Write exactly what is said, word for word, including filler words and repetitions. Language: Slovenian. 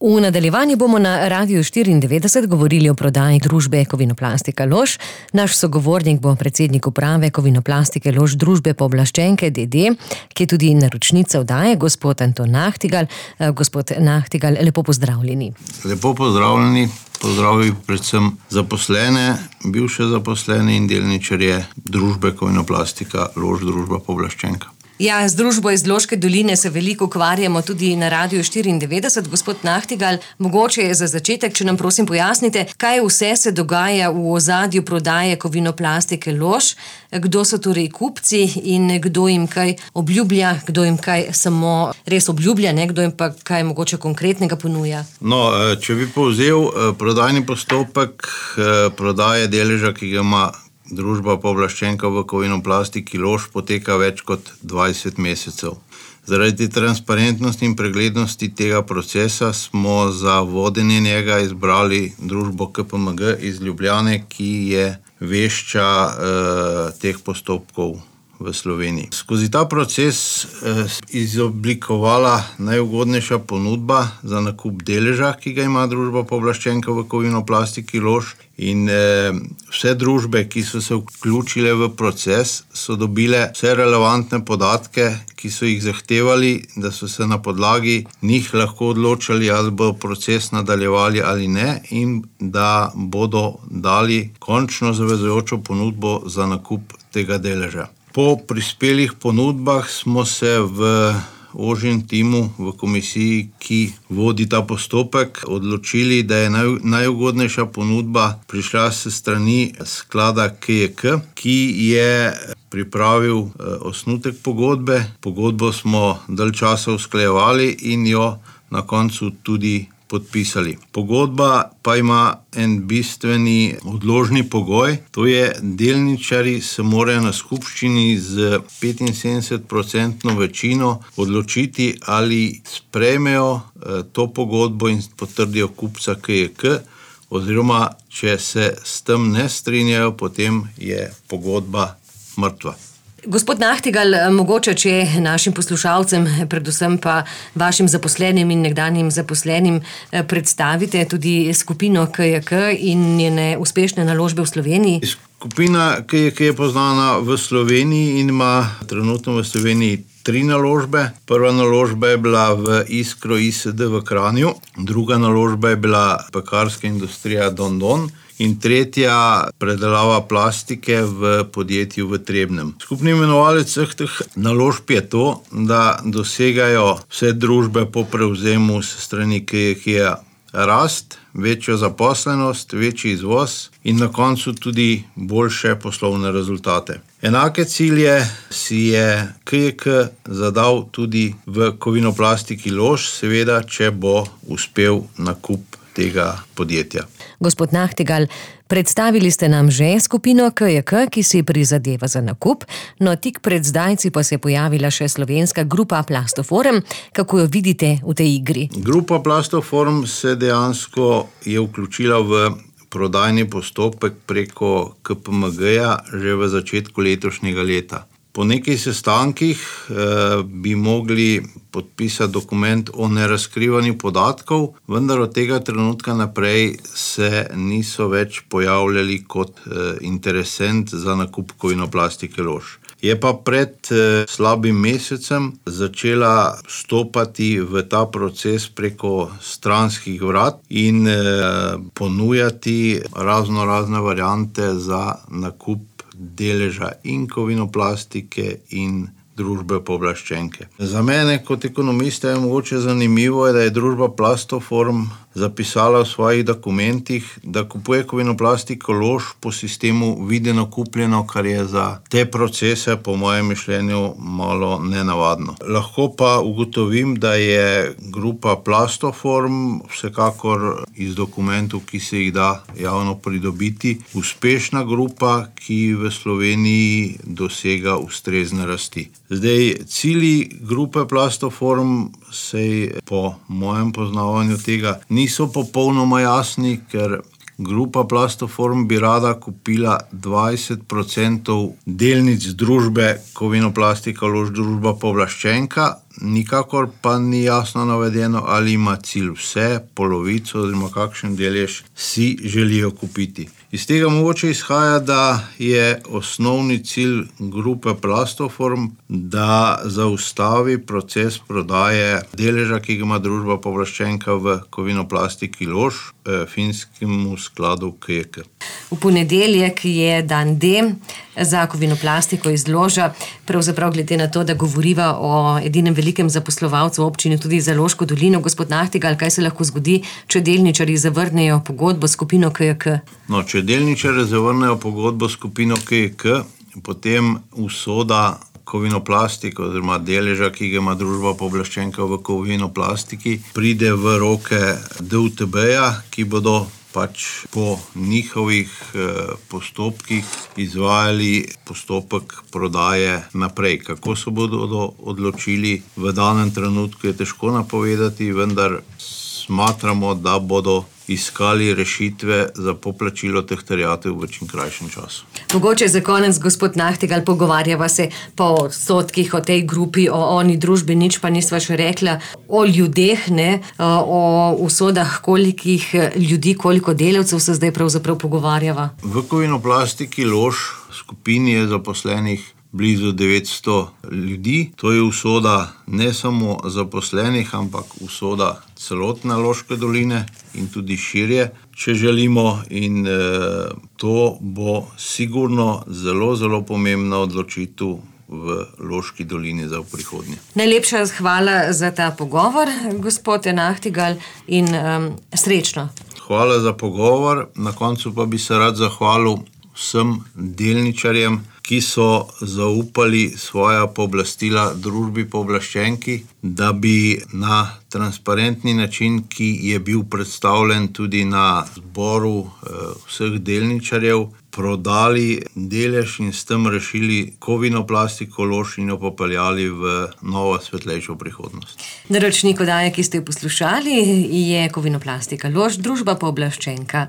V nadaljevanju bomo na Radiu štiriindevetdeset govorili o prodaji družbe Kovinoplastika Lož. Naš sogovornik bo predsednik uprave Kovinoplastike Lož družbe Pooblaščenke d. d., ki je tudi naročnica oddaje, gospod Anton Nahtigal. Gospod Nahtigal, lepo pozdravljeni. Lepo pozdravljeni. Pozdravljeni predvsem zaposlene, bivše zaposlene in delničarje družbe Kovinoplastika Lož družba Pooblaščenka. Ja, z družbo iz Loške doline se veliko ukvarjamo tudi na Radiu štiriindevetdeset. Gospod Nahtigal, mogoče je za začetek, če nam prosim pojasnite, kaj vse se dogaja v ozadju prodaje Kovinoplastike Lož, kdo so torej kupci in kdo jim kaj obljublja, kdo jim kaj samo res obljublja, ne? Kdo jim pa kaj mogoče konkretnega ponuja. No, če bi povzel prodajni postopek prodaje deleža, ki ga ima družba Pooblaščenka v Kovinoplastiki Lož, poteka več kot dvajset mesecev. Zaradi transparentnosti in preglednosti tega procesa smo za vodenje njega izbrali družbo K P M G iz Ljubljane, ki je vešča eh, teh postopkov v Sloveniji. Skozi ta proces eh, izoblikovala najugodnejša ponudba za nakup deleža, ki ga ima družba Pooblaščenka v Kovinoplastiki Lož, in eh, vse družbe, ki so se vključile v proces, so dobile vse relevantne podatke, ki so jih zahtevali, da so se na podlagi njih lahko odločali, ali bo proces nadaljevali ali ne, in da bodo dali končno zavezujočo ponudbo za nakup tega deleža. Po prispelih ponudbah smo se v ožjem timu v komisiji, ki vodi ta postopek, odločili, da je naj, najugodnejša ponudba prišla s strani sklada K J K, ki je pripravil eh, osnutek pogodbe. Pogodbo smo dalj časa usklajevali in jo na koncu tudi podpisali. Pogodba pa ima en bistveni odložni pogoj, to je, delničarji se morajo na skupščini z petinsedemdeset procentno večino odločiti, ali sprejmejo eh, to pogodbo in potrdijo kupca K J K, oziroma če se s tem ne strinjajo, potem je pogodba mrtva. Gospod Nahtigal, mogoče, če našim poslušalcem, predvsem pa vašim zaposlenim in nekdanjim zaposlenim, predstavite tudi skupino K J K in njene uspešne naložbe v Sloveniji. Skupina K J K je poznana v Sloveniji in ima trenutno v Sloveniji tri naložbe. Prva naložba je bila v Iskro I S D v Kranju, druga naložba je bila pekarska industrija Don Don in tretja predelava plastike v podjetju v Trebnjem. Skupni imenovalec vseh teh naložb je to, da dosegajo vse družbe po prevzemu s strani K J K-ja rast, večjo zaposlenost, večji izvoz in na koncu tudi boljše poslovne rezultate. Enake cilje si je K J K zadal tudi v Kovinoplastiki Lož, seveda, če bo uspel nakup tega podjetja. Gospod Nahtigal, predstavili ste nam že skupino K J K, ki si prizadeva za nakup, no tik pred zdajci pa se je pojavila še slovenska grupa Plastoform. Kako jo vidite v tej igri? Grupa Plastoform se dejansko je vključila v prodajni postopek preko K P M G-ja že v začetku letošnjega leta. Po nekaj sestankih eh, bi mogli podpisati dokument o nerazkrivanju podatkov, vendar od tega trenutka naprej se niso več pojavljali kot eh, interesent za nakup Kovinoplastike Lož. Je pa pred eh, slabim mesecem začela stopati v ta proces preko stranskih vrat in eh, ponujati razno razne variante za nakup deleža in Kovinoplastike in družbe Pooblaščenke. Za mene kot ekonomista je mogoče zanimivo, da je družba Plastoform zapisala v svojih dokumentih, da kupuje Kovinoplastiko Lož po sistemu videno kupljeno, kar je za te procese po mojem mišljenju malo nenavadno. Lahko pa ugotovim, da je grupa Plastoform vsekakor iz dokumentov, ki se jih da javno pridobiti, uspešna grupa, ki v Sloveniji dosega ustrezne rasti. Zdaj, cilji grupe Plastoform se po mojem poznavanju tega niso popolnoma jasni, ker grupa Plastoform bi rada kupila dvajset procentov delnic družbe Kovinoplastika Lož družba Pooblaščenka, nikakor pa ni jasno navedeno, ali ima cilj vse, polovico oziroma kakšen delež si želijo kupiti. Iz tega mogoče izhaja, da je osnovni cilj grupe Plastoform, da zaustavi proces prodaje deleža, ki ga ima družba pooblaščenka v Kovinoplastiki Lož, finskemu skladu K J K. V ponedeljek je dan D za Kovinoplastiko iz Loža. Pravzaprav glede na to, da govoriva o edinem velikem zaposlovalcu v občini tudi za Loško dolino. Gospod Nahtigal, kaj se lahko zgodi, če delničarji zavrnejo pogodbo s skupino K J K? No, če delničarji zavrnejo pogodbo s skupino K J K, potem usoda Kovinoplastike oziroma deleža, ki ga ima družba pooblaščenka v Kovinoplastiki, pride v roke D U T B-ja, ki bodo pač po njihovih postopkih izvajali postopek prodaje naprej. Kako se bodo odločili v danem trenutku, je težko napovedati, vendar smatramo, da bodo iskali rešitve za poplačilo teh terjatev v čim krajšem času. Mogoče za konec, gospod Nahtigal, pogovarjava se po odstotkih o tej grupi, o oni družbi, nič pa nisva še rekla o ljudeh, ne, o usodah, kolikih ljudi, koliko delavcev se zdaj pravzaprav pogovarjava. V Kovinoplastiki Lož skupini je zaposlenih blizu devetsto ljudi. To je usoda ne samo zaposlenih, ampak usoda celotne Loške doline in tudi širje, če želimo, in e, to bo sigurno zelo, zelo pomembna odločitev v Loški dolini za v prihodnje. Najlepša hvala za ta pogovor, gospod Nahtigal, in um, srečno. Hvala za pogovor. Na koncu pa bi se rad zahvalil vsem delničarjem, ki so zaupali svoja pooblastila družbi pooblaščenki, da bi na transparentni način, ki je bil predstavljen tudi na zboru vseh delničarjev, prodali delež in s tem rešili Kovinoplastiko Lož in jo popeljali v novo svetlejšo prihodnost. Naročnik oddaje, ki ste jo poslušali, je Kovinoplastika Lož, družba pooblaščenka.